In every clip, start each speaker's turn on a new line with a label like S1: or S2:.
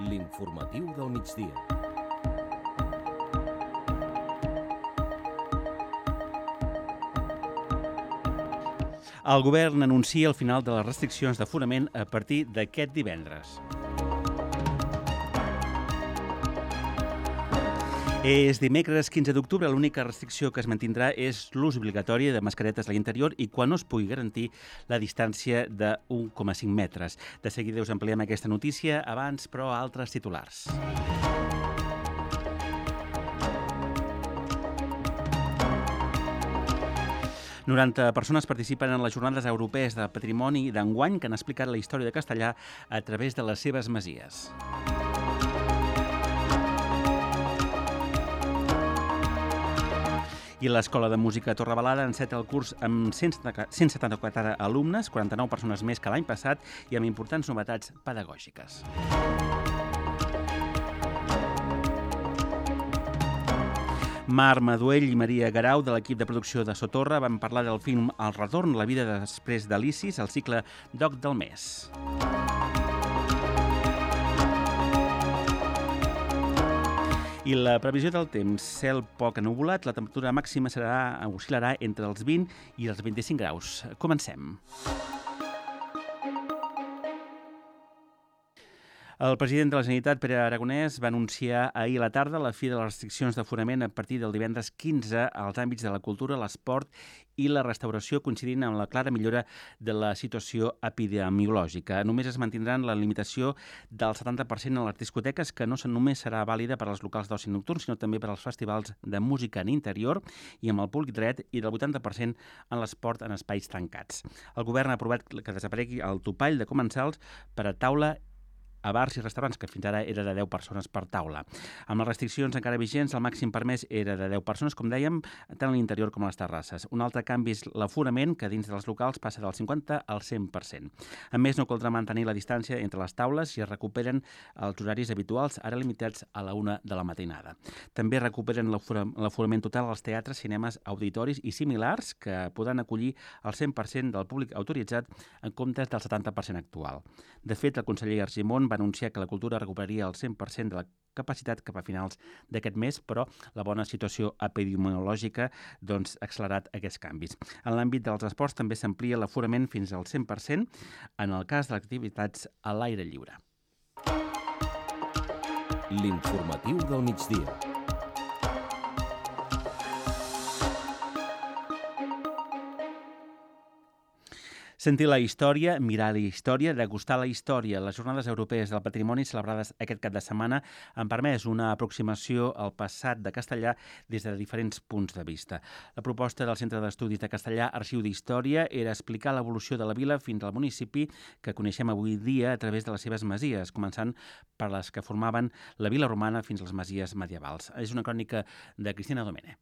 S1: L'informatiu del migdia.
S2: El govern anuncia el final de les restriccions d'aforament a partir d'aquest divendres. És dimecres 15 d'octubre, l'única restricció que es mantindrà és l'ús obligatori de mascaretes a l'interior i quan no es pugui garantir la distància de 1,5 metres. De seguida us ampliem aquesta notícia, abans, però, altres titulars. Noranta persones participen en les Jornades Europees de Patrimoni d'enguany que han explicat la història de Castellar a través de les seves masies. I l'Escola de Música Torrebalada enceta el curs amb 174 alumnes, 49 persones més que l'any passat i amb importants novetats pedagògiques. Mar Maduell i Maria Garau, de l'equip de producció de Sotorra, van parlar del film El retorn, la vida després d'Alicis, al cicle Doc del mes. I la previsió del temps, cel poc ennuvolat, la temperatura màxima oscil·larà entre els 20 i els 25 graus. Comencem. El president de la Generalitat, Pere Aragonès, va anunciar ahir a la tarda la fi de les restriccions d'aforament a partir del divendres 15 als àmbits de la cultura, l'esport i la restauració, coincidint amb la clara millora de la situació epidemiològica. Només es mantindran la limitació del 70% a les discoteques, que no només serà vàlida per als locals d'oci nocturn, sinó també per als festivals de música en interior i amb el públic dret, i del 80% en l'esport en espais tancats. El govern ha aprovat que desaparegui el topall de comensals per a taula a bars i restaurants, que fins ara era de 10 persones per taula. Amb les restriccions encara vigents, el màxim permès era de 10 persones, com dèiem, tant a l'interior com a les terrasses. Un altre canvi és l'aforament, que dins dels locals passa del 50 al 100%. A més, no caldrà mantenir la distància entre les taules i es recuperen els horaris habituals, ara limitats a la 1 de la matinada. També recuperen l'aforament total als teatres, cinemes, auditoris i similars, que podran acollir el 100% del públic autoritzat en comptes del 70% actual. De fet, el conseller Argimon va anunciar que la cultura recuperaria el 100% de la capacitat cap a finals d'aquest mes, però la bona situació epidemiològica ha accelerat aquests canvis. En l'àmbit dels esports també s'amplia l'aforament fins al 100% en el cas de les activitats a l'aire lliure.
S1: L'informatiu del migdia.
S2: Sentir la història, mirar la història, degustar la història. Les Jornades Europees del Patrimoni celebrades aquest cap de setmana han permès una aproximació al passat de Castellar des de diferents punts de vista. La proposta del Centre d'Estudis de Castellar, Arxiu d'Història, era explicar l'evolució de la vila fins al municipi que coneixem avui dia a través de les seves masies, començant per les que formaven la vila romana fins a les masies medievals. És una crònica de Cristina Domene.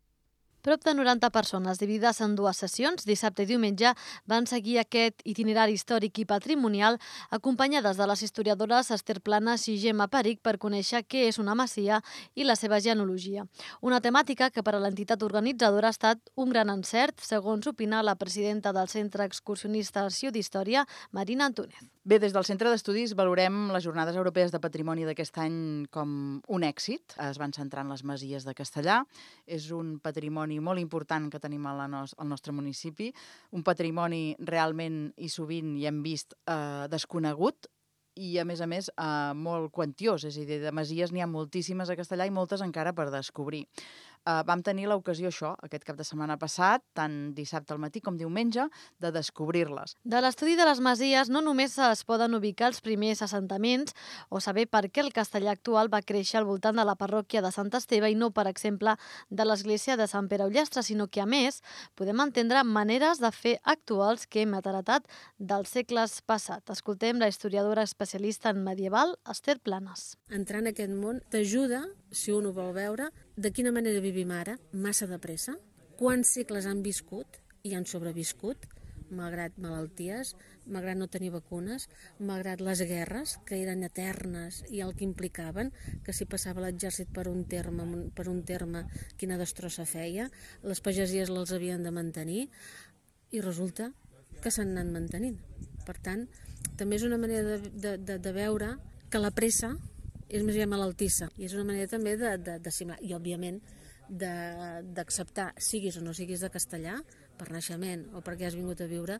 S3: Prop de 90 persones, dividides en dues sessions, dissabte i diumenge, van seguir aquest itinerari històric i patrimonial acompanyades de les historiadores Esther Planas i Gemma Peric per conèixer què és una masia i la seva genealogia. Una temàtica que per a l'entitat organitzadora ha estat un gran encert, segons opina la presidenta del Centre Excursionista Arxiu d'Història, Marina Antúnez.
S4: Bé, des del Centre d'Estudis valorem les Jornades Europees de Patrimoni d'aquest any com un èxit. Es van centrar en les masies de Castellar. És un patrimoni molt important que tenim al nostre municipi, un patrimoni realment i sovint hi hem vist desconegut i, a més, molt quantiós. És a dir, de masies n'hi ha moltíssimes a Castellar i moltes encara per descobrir. Vam tenir l'ocasió, aquest cap de setmana passat, tant dissabte al matí com diumenge, de descobrir-les.
S3: De l'estudi de les masies no només es poden ubicar els primers assentaments o saber per què el castellà actual va créixer al voltant de la parròquia de Sant Esteve i no, per exemple, de l'església de Sant Pere Ullastre, sinó que, a més, podem entendre maneres de fer actuals que hem heretat dels segles passats. Escoltem la historiadora especialista en medieval, Esther Planas.
S5: Entrar en aquest món t'ajuda, si un ho vol veure, de quina manera vivim ara, massa de pressa, quants segles han viscut i han sobreviscut, malgrat malalties, malgrat no tenir vacunes, malgrat les guerres, que eren eternes i el que implicaven, que si passava l'exèrcit per un terme, quina destrossa feia, les pagesies les havien de mantenir, i resulta que s'han anat mantenint. Per tant, també és una manera de veure que la pressa és més aviat malaltissa. I és una manera també d'assimilar. I, òbviament, d'acceptar, siguis o no siguis de castellà, per naixement o perquè has vingut a viure,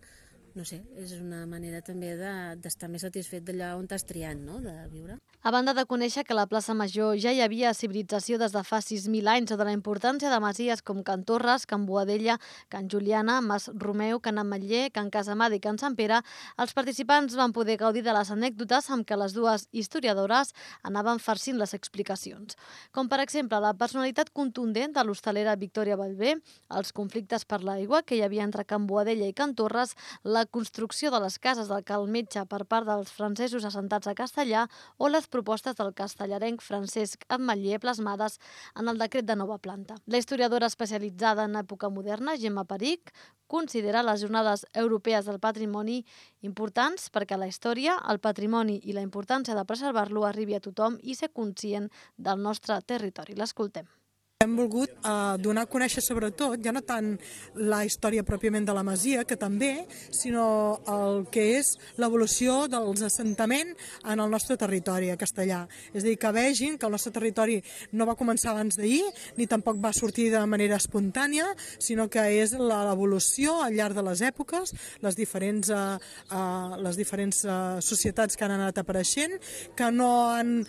S5: no sé, és una manera també d'estar més satisfet d'allà on t'has triat, no?, de viure.
S3: A banda de conèixer que a la plaça Major ja hi havia civilització des de fa 6.000 anys o de la importància de masies com Can Torres, Can Boadella, Can Juliana, Mas Romeu, Can Ametller, Can Casamada i Can Sant Pere, els participants van poder gaudir de les anècdotes amb què les dues historiadores anaven farcint les explicacions. Com, per exemple, la personalitat contundent de l'hostalera Victòria Bellver, els conflictes per l'aigua que hi havia entre Can Boadella i Can Torres, la construcció de les cases del Cal Metge per part dels francesos assentats a Castellar o les propostes del castellarenc Francesc Ametller plasmades en el decret de nova planta. La historiadora especialitzada en època moderna, Gemma Perich, considera les jornades europees del patrimoni importants perquè la història, el patrimoni i la importància de preservar-lo arribi a tothom i ser conscient del nostre territori. L'escoltem.
S6: Hem volgut donar a conèixer sobretot, ja no tant la història pròpiament de la masia, que també, sinó el que és l'evolució dels assentaments en el nostre territori, a Castellar. És a dir, que vegin que el nostre territori no va començar abans d'ahir, ni tampoc va sortir de manera espontània, sinó que és l'evolució al llarg de les èpoques, les diferents societats que han anat apareixent, que no han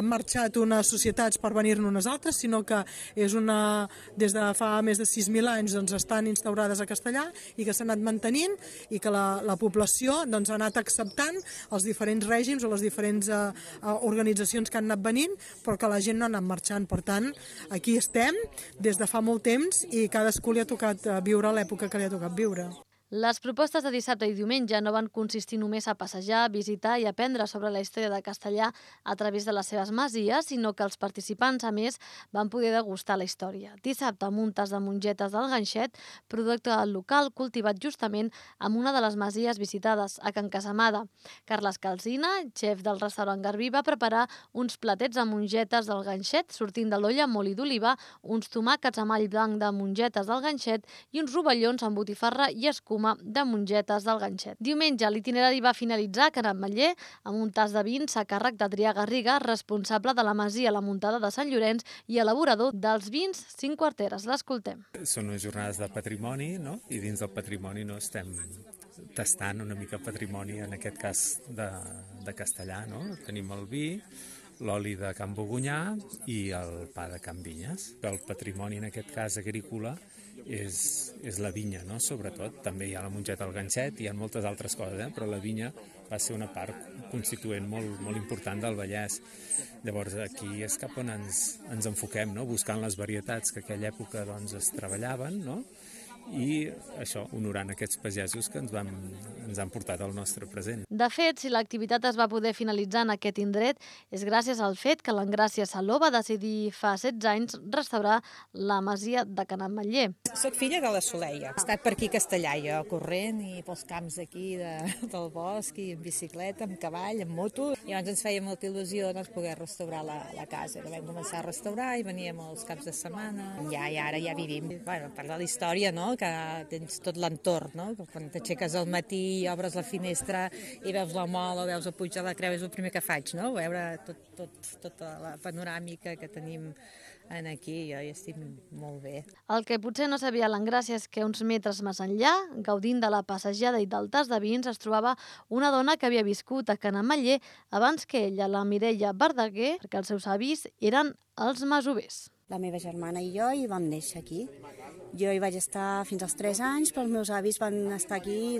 S6: marxat unes societats per venir-ne unes altres, sinó que des de fa més de 6.000 anys estan instaurades a Castellar i que s'han anat mantenint i que la població ha anat acceptant els diferents règims o les diferents organitzacions que han anat venint, però que la gent no ha anat marxant. Per tant, aquí estem des de fa molt temps i cadascú li ha tocat viure l'època que li ha tocat viure.
S3: Les propostes de dissabte i diumenge no van consistir només a passejar, visitar i aprendre sobre la història de Castellar a través de les seves masies, sinó que els participants, a més, van poder degustar la història. Dissabte, amb un tas de mongetes del ganxet, producte local cultivat justament en una de les masies visitades, a Can Casamada. Carles Calsina, xef del restaurant Garbí, va preparar uns platets de mongetes del ganxet, sortint de l'olla amb oli d'oliva, uns tomàquets amb all blanc de mongetes del ganxet i uns rovellons amb botifarra i escuma de mongetes del ganxet. Diumenge, l'itinerari va finalitzar a Can Ametller amb un tas de vins a càrrec d'Adrià Garriga, responsable de la masia La Muntada de Sant Llorenç i elaborador dels vins 5 quarteres. L'escoltem.
S7: Són unes jornades de patrimoni, no? I dins del patrimoni estem tastant una mica patrimoni, en aquest cas de Castellar. No? Tenim el vi, l'oli de Can Bogonyà i el pa de Can Vinyes. El patrimoni, en aquest cas agrícola, és la vinya, no? Sobretot. També hi ha la mongeta al ganxet, hi ha moltes altres coses, però la vinya va ser una part constituent molt important del Vallès. Llavors, aquí és cap on ens enfoquem, no? Buscant les varietats que a aquella època es treballaven, no? I això, honorant aquests pagesos que ens han portat al nostre present.
S3: De fet, si l'activitat es va poder finalitzar en aquest indret, és gràcies al fet que l'Engràcia Saló va decidir fa 16 anys restaurar la masia de Can Ametller.
S8: Soc filla de la Soleia. He estat per aquí a Castellar, jo, corrent i pels camps d'aquí del bosc, i en bicicleta, amb cavall, amb moto. I llavors ens feia molta il·lusió poder restaurar la casa. La vam començar a restaurar i veníem els caps de setmana. I ara ja vivim. Bueno, per la història, no?, que tens tot l'entorn, no? Quan t'aixeques al matí i obres la finestra i veus la mola o veus el Puig de la Creu, és el primer que faig, no? Veure tota la panoràmica que tenim aquí, jo hi estic molt bé.
S3: El que potser no sabia l'Engràcia és que uns metres més enllà, gaudint de la passejada i del tas de vins, es trobava una dona que havia viscut a Can Ametller abans que ella, la Mireia Verdaguer, perquè els seus avis eren els masovers.
S9: La meva germana i jo hi vam néixer aquí. Jo hi vaig estar fins als 3 anys, però els meus avis van estar aquí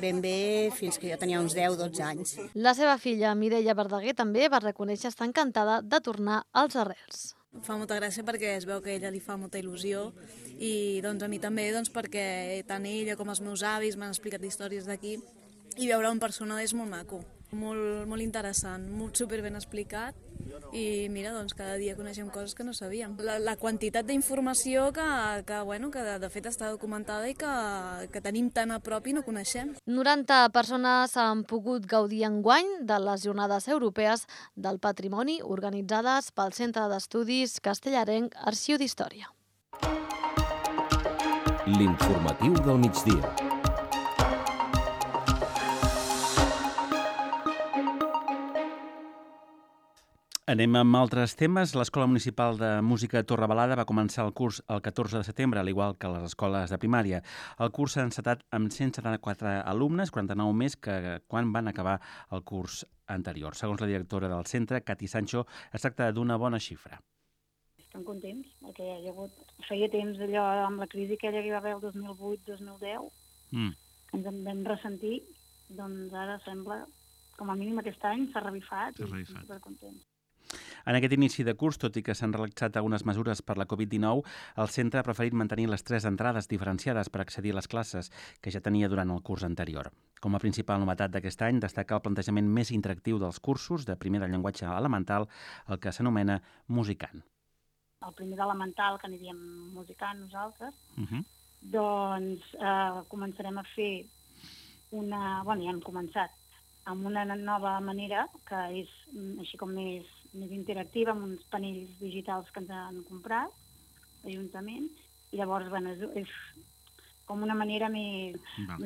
S9: ben bé fins que jo tenia uns 10-12 anys.
S3: La seva filla, Mireia Verdaguer, també va reconèixer estar encantada de tornar als arrels.
S10: Fa molta gràcia perquè es veu que a ella li fa molta il·lusió i a mi també perquè tant ella com els meus avis m'han explicat històries d'aquí i veure en persona és molt maco, molt interessant, super ben explicat i mira, cada dia coneixem coses que no sabíem. La quantitat d'informació que de fet està documentada i que tenim tan a prop i no coneixem.
S3: 90 persones han pogut gaudir enguany de les Jornades Europees del Patrimoni organitzades pel Centre d'Estudis Castellarenc Arxiu d'Història.
S1: L'informatiu del migdia.
S2: Anem amb altres temes. L'Escola Municipal de Música Torrebalada va començar el curs el 14 de setembre, al igual que les escoles de primària. El curs s'ha encetat amb 174 alumnes, 49 més que quan van acabar el curs anterior. Segons la directora del centre, Cati Sancho, es tracta d'una bona xifra.
S11: Estem contents, perquè hi ha hagut... feia temps allò amb la crisi aquella que hi va haver el 2008-2010, ens en vam ressentir, doncs ara sembla, com a mínim aquest any, s'ha revifat i estem supercontents.
S2: En aquest inici de curs, tot i que s'han relaxat algunes mesures per la Covid-19, el centre ha preferit mantenir les 3 entrades diferenciades per accedir a les classes que ja tenia durant el curs anterior. Com a principal novetat d'aquest any, destaca el plantejament més interactiu dels cursos de primer de llenguatge elemental, el que s'anomena Musicant.
S11: El primer d'elemental, que n'hi diem Musicant nosaltres, doncs començarem a fer una... Bueno, ja hem començat, amb una nova manera, que és així com més interactiva, amb uns panells digitals que ens han comprat, l'Ajuntament, i llavors, bueno, és com una manera més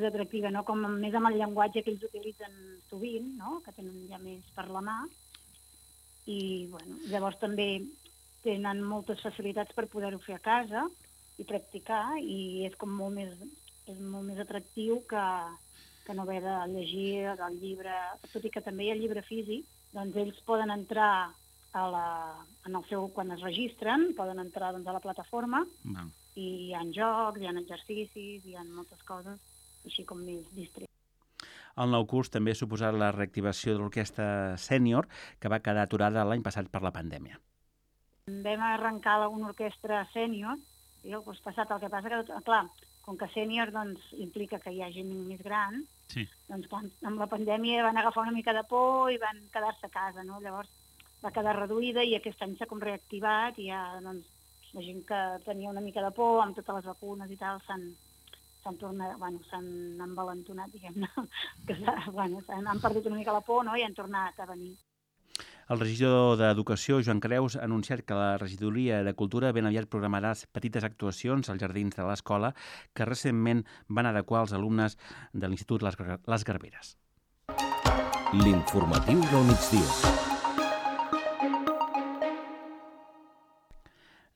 S11: atractiva, no? Com més amb el llenguatge que ells utilitzen sovint, no? Que tenen ja més per la mà, i bueno, llavors també tenen moltes facilitats per poder-ho fer a casa i practicar, i és com molt més atractiu que no haver de llegir el llibre, tot i que també hi ha llibre físic, doncs ells poden entrar quan es registren, poden entrar a la plataforma i hi ha jocs, hi ha exercicis, hi ha moltes coses, així com més distrets.
S2: El nou curs també ha suposat la reactivació de l'orquestra sènior, que va quedar aturada l'any passat per la pandèmia.
S11: Vam arrencar una orquestra sènior, i el curs passat el que passa que, clar, com que sènior doncs, implica que hi ha gent més gran, doncs amb la pandèmia van agafar una mica de por i van quedar-se a casa, no? Llavors va quedar reduïda i aquest any s'ha com reactivat i ja, doncs, la gent que tenia una mica de por amb totes les vacunes i tal s'han tornat, bueno, s'han envalentonat, diguem-ne, que han perdut una mica la por, no? I han tornat a venir.
S2: El regidor d'Educació, Joan Creus, ha anunciat que la regidoria de Cultura ben aviat programarà petites actuacions als jardins de l'escola que recentment van adequar els alumnes de l'Institut Les Garberes.
S1: L'informatiu del migdia.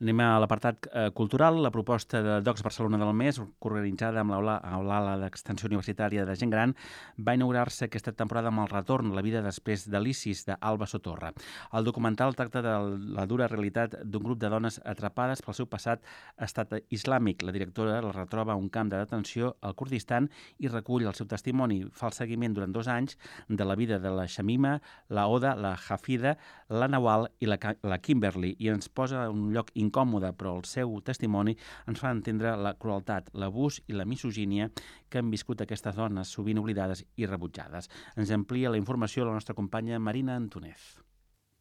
S2: Anem a l'apartat cultural. La proposta de Docs Barcelona del mes, organitzada amb l'Ala d'Extensió Universitària de Gent Gran, va inaugurar-se aquesta temporada amb el retorn a la vida després de l'ISIS, d'Alba Sotorra. El documental tracta de la dura realitat d'un grup de dones atrapades pel seu passat estat islàmic. La directora la retroba a un camp de detenció al Kurdistan i recull el seu testimoni. Fa el seguiment durant 2 anys de la vida de la Shamima, la Oda, la Hafida, la Nawal i la Kimberly, i ens posa en un lloc incòmode, però el seu testimoni ens fa entendre la crueltat, l'abús i la misogínia que han viscut aquestes dones, sovint oblidades i rebutjades. Ens amplia la informació la nostra companya Marina Antonez.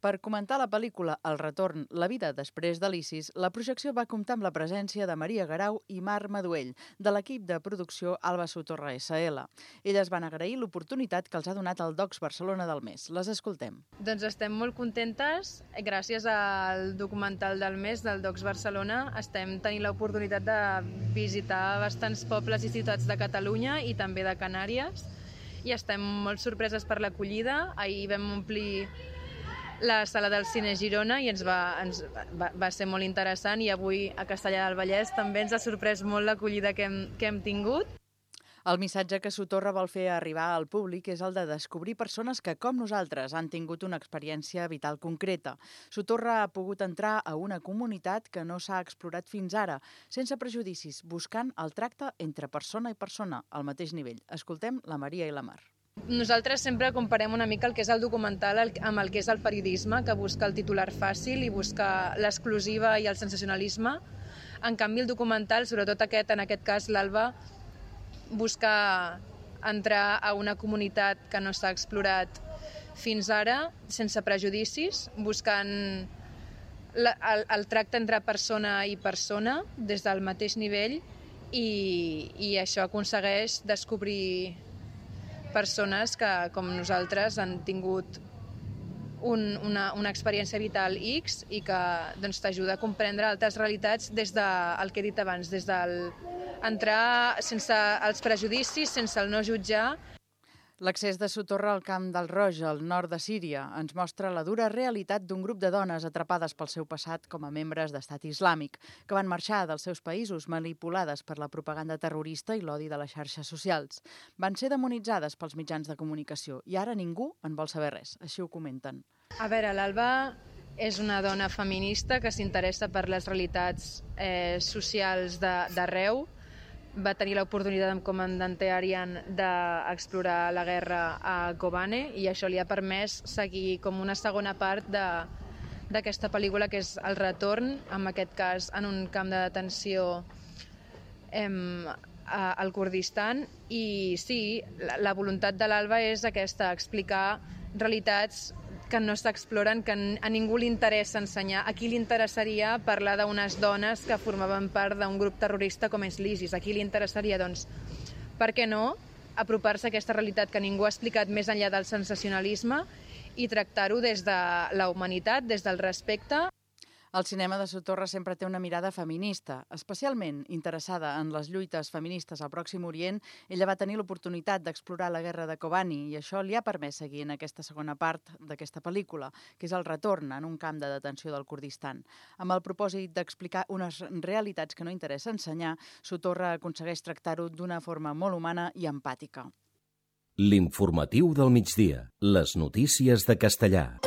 S4: Per comentar la pel·lícula El retorn, la vida després de l'ISIS, la projecció va comptar amb la presència de Maria Garau i Marc Maduell, de l'equip de producció Alba Sotorra SL. Elles van agrair l'oportunitat que els ha donat el Docs Barcelona del mes. Les escoltem.
S12: Doncs estem molt contentes. Gràcies al documental del mes del Docs Barcelona estem tenint l'oportunitat de visitar bastants pobles i ciutats de Catalunya i també de Canàries, i estem molt sorpreses per l'acollida. Ahir vam omplir la sala del Cine Girona i va ser molt interessant, i avui a Castellar del Vallès també ens ha sorprès molt l'acollida que hem tingut.
S4: El missatge que Sotorra vol fer arribar al públic és el de descobrir persones que, com nosaltres, han tingut una experiència vital concreta. Sotorra ha pogut entrar a una comunitat que no s'ha explorat fins ara, sense prejudicis, buscant el tracte entre persona i persona, al mateix nivell. Escoltem la Maria i la Mar.
S12: Nosaltres sempre comparem una mica el que és el documental amb el que és el periodisme, que busca el titular fàcil i busca l'exclusiva i el sensacionalisme. En canvi, el documental, sobretot en aquest cas l'Alba, busca entrar a una comunitat que no s'ha explorat fins ara, sense prejudicis, buscant el tracte entre persona i persona des del mateix nivell, i això aconsegueix descobrir persones que, com nosaltres, han tingut una experiència vital X i que t'ajuda a comprendre altres realitats des del que he dit abans, des del entrar sense els prejudicis, sense el no jutjar.
S4: L'accés de Sotorra al Camp del Roig, al nord de Síria, ens mostra la dura realitat d'un grup de dones atrapades pel seu passat com a membres d'Estat Islàmic, que van marxar dels seus països manipulades per la propaganda terrorista i l'odi de les xarxes socials. Van ser demonitzades pels mitjans de comunicació i ara ningú en vol saber res, així ho comenten.
S12: A veure, l'Alba és una dona feminista que s'interessa per les realitats socials d'arreu. Va tenir l'oportunitat com a comandante Arian d'explorar la guerra a Kobane i això li ha permès seguir com una segona part d'aquesta pel·lícula, que és El retorn, en aquest cas en un camp de detenció al Kurdistan. I sí, la voluntat de l'Alba és aquesta, explicar realitats que no s'exploren, que a ningú li interessa ensenyar. A qui li interessaria parlar d'unes dones que formaven part d'un grup terrorista com és l'ISIS? A qui li interessaria, doncs, per què no, apropar-se a aquesta realitat que ningú ha explicat més enllà del sensacionalisme i tractar-ho des de la humanitat, des del respecte.
S4: El cinema de Sotorra sempre té una mirada feminista. Especialment interessada en les lluites feministes al Pròxim Orient, ella va tenir l'oportunitat d'explorar la guerra de Kobani i això li ha permès seguir en aquesta segona part d'aquesta pel·lícula, que és el retorn en un camp de detenció del Kurdistan. Amb el propòsit d'explicar unes realitats que no interessa ensenyar, Sotorra aconsegueix tractar-ho d'una forma molt humana i empàtica.
S1: L'informatiu del migdia. Les notícies de Castellà.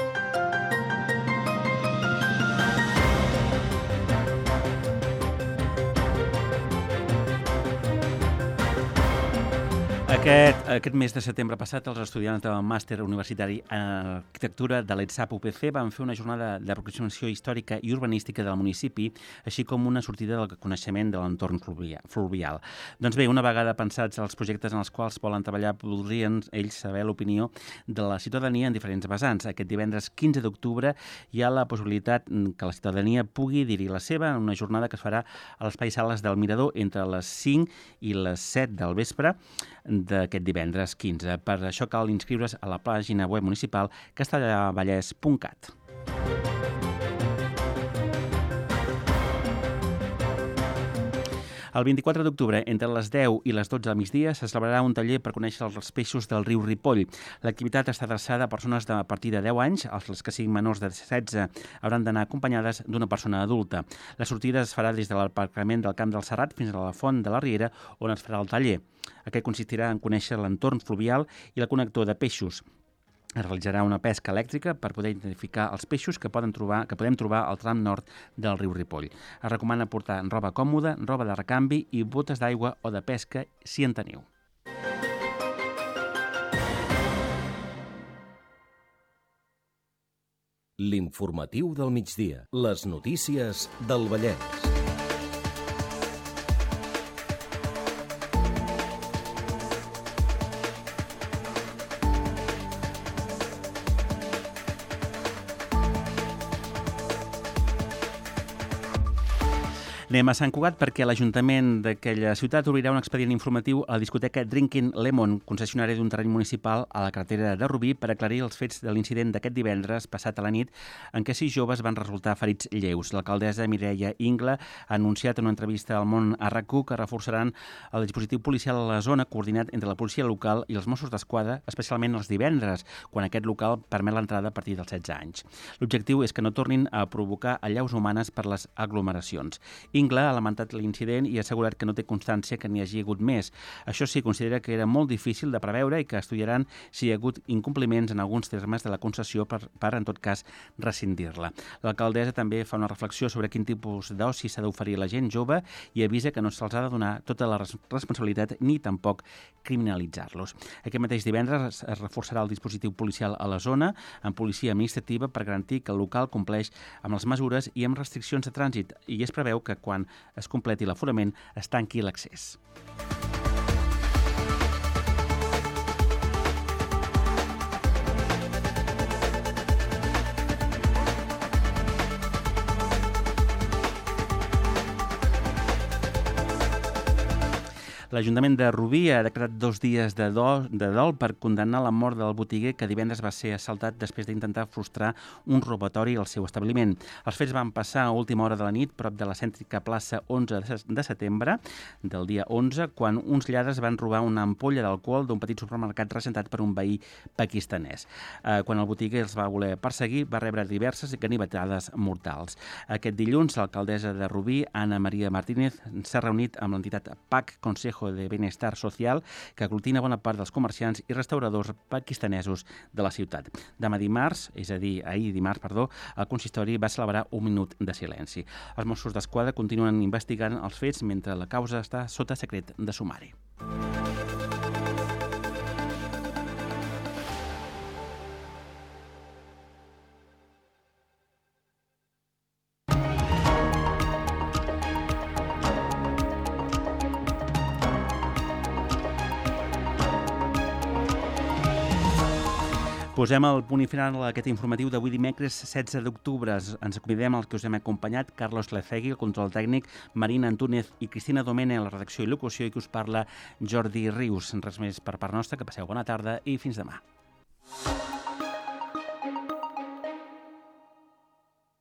S2: Aquest mes de setembre passat, els estudiants del màster universitari en arquitectura de l'ETSAP UPC van fer una jornada d'aproximació històrica i urbanística del municipi, així com una sortida del coneixement de l'entorn fluvial. Doncs bé, una vegada pensats els projectes en els quals volen treballar, voldrien ells saber l'opinió de la ciutadania en diferents vessants. Aquest divendres 15 d'octubre hi ha la possibilitat que la ciutadania pugui dir-hi la seva en una jornada que es farà a l'Espai Sales del Mirador entre les 5 i les 7 del vespre d'aquest divendres 15. Per això cal inscriure's a la pàgina web municipal castellavallès.cat. El 24 d'octubre, entre les 10 i les 12 del migdia, se celebrarà un taller per conèixer els peixos del riu Ripoll. L'activitat està adreçada a persones a partir de 10 anys. Els que siguin menors de 16 hauran d'anar acompanyades d'una persona adulta. La sortida es farà des de l'aparcament del Camp del Serrat fins a la Font de la Riera, on es farà el taller. Aquest consistirà en conèixer l'entorn fluvial i el connector de peixos. Es realitzarà una pesca elèctrica per poder identificar els peixos que podem trobar al tram nord del riu Ripoll. Es recomana portar roba còmoda, roba de recanvi i botes d'aigua o de pesca si en teniu.
S1: L'informatiu del migdia. Les notícies del Vallès.
S2: Anem a Sant Cugat perquè l'Ajuntament d'aquella ciutat obrirà un expedient informatiu a la discoteca Drinking Lemon, concessionària d'un terreny municipal a la carretera de Rubí, per aclarir els fets de l'incident d'aquest divendres passat a la nit en què 6 joves van resultar ferits lleus. L'alcaldessa Mireia Ingla ha anunciat en una entrevista al Món a RAC1 que reforçaran el dispositiu policial a la zona, coordinat entre la policia local i els Mossos d'Esquadra, especialment els divendres, quan aquest local permet l'entrada a partir dels 16 anys. L'objectiu és que no tornin a provocar allaus humanes per les aglomeracions. Ingla ha lamentat l'incident i ha assegurat que no té constància que n'hi hagi hagut més. Això sí, considera que era molt difícil de preveure i que estudiaran si hi ha hagut incompliments en alguns termes de la concessió per en tot cas, rescindir-la. L'alcaldessa també fa una reflexió sobre quin tipus d'oci s'ha d'oferir a la gent jove i avisa que no se'ls ha de donar tota la responsabilitat ni tampoc criminalitzar-los. Aquest mateix divendres es reforçarà el dispositiu policial a la zona amb policia administrativa per garantir que el local compleix amb les mesures i amb restriccions de trànsit i es preveu que quan es completi l'aforament es tanqui l'accés. L'Ajuntament de Rubí ha decretat 2 dies de dol per condemnar la mort del botiguer que divendres va ser assaltat després d'intentar frustrar un robatori al seu establiment. Els fets van passar a última hora de la nit prop de la cèntrica plaça 11 de setembre del dia 11, quan uns lladres van robar una ampolla d'alcohol d'un petit supermercat regentat per un veí pakistanès. Quan el botiguer els va voler perseguir, va rebre diverses ganivetades mortals. Aquest dilluns, l'alcaldessa de Rubí, Ana Maria Martínez, s'ha reunit amb l'entitat PAC, Consejo de Benestar Social, que aglutina bona part dels comerciants i restauradors pakistanesos de la ciutat. Demà dimarts, és a dir, ahir dimarts, el consistori va celebrar un minut de silenci. Els Mossos d'Esquadra continuen investigant els fets mentre la causa està sota secret de sumari. Posem el punt i final a aquest informatiu d'avui dimecres 16 d'octubre. Ens acomidem als que us hem acompanyat, Carlos Lecegui, el control tècnic, Marina Antúnez i Cristina Domene, la redacció i locució, i que us parla Jordi Rius. Res més per part nostra, que passeu bona tarda i fins demà.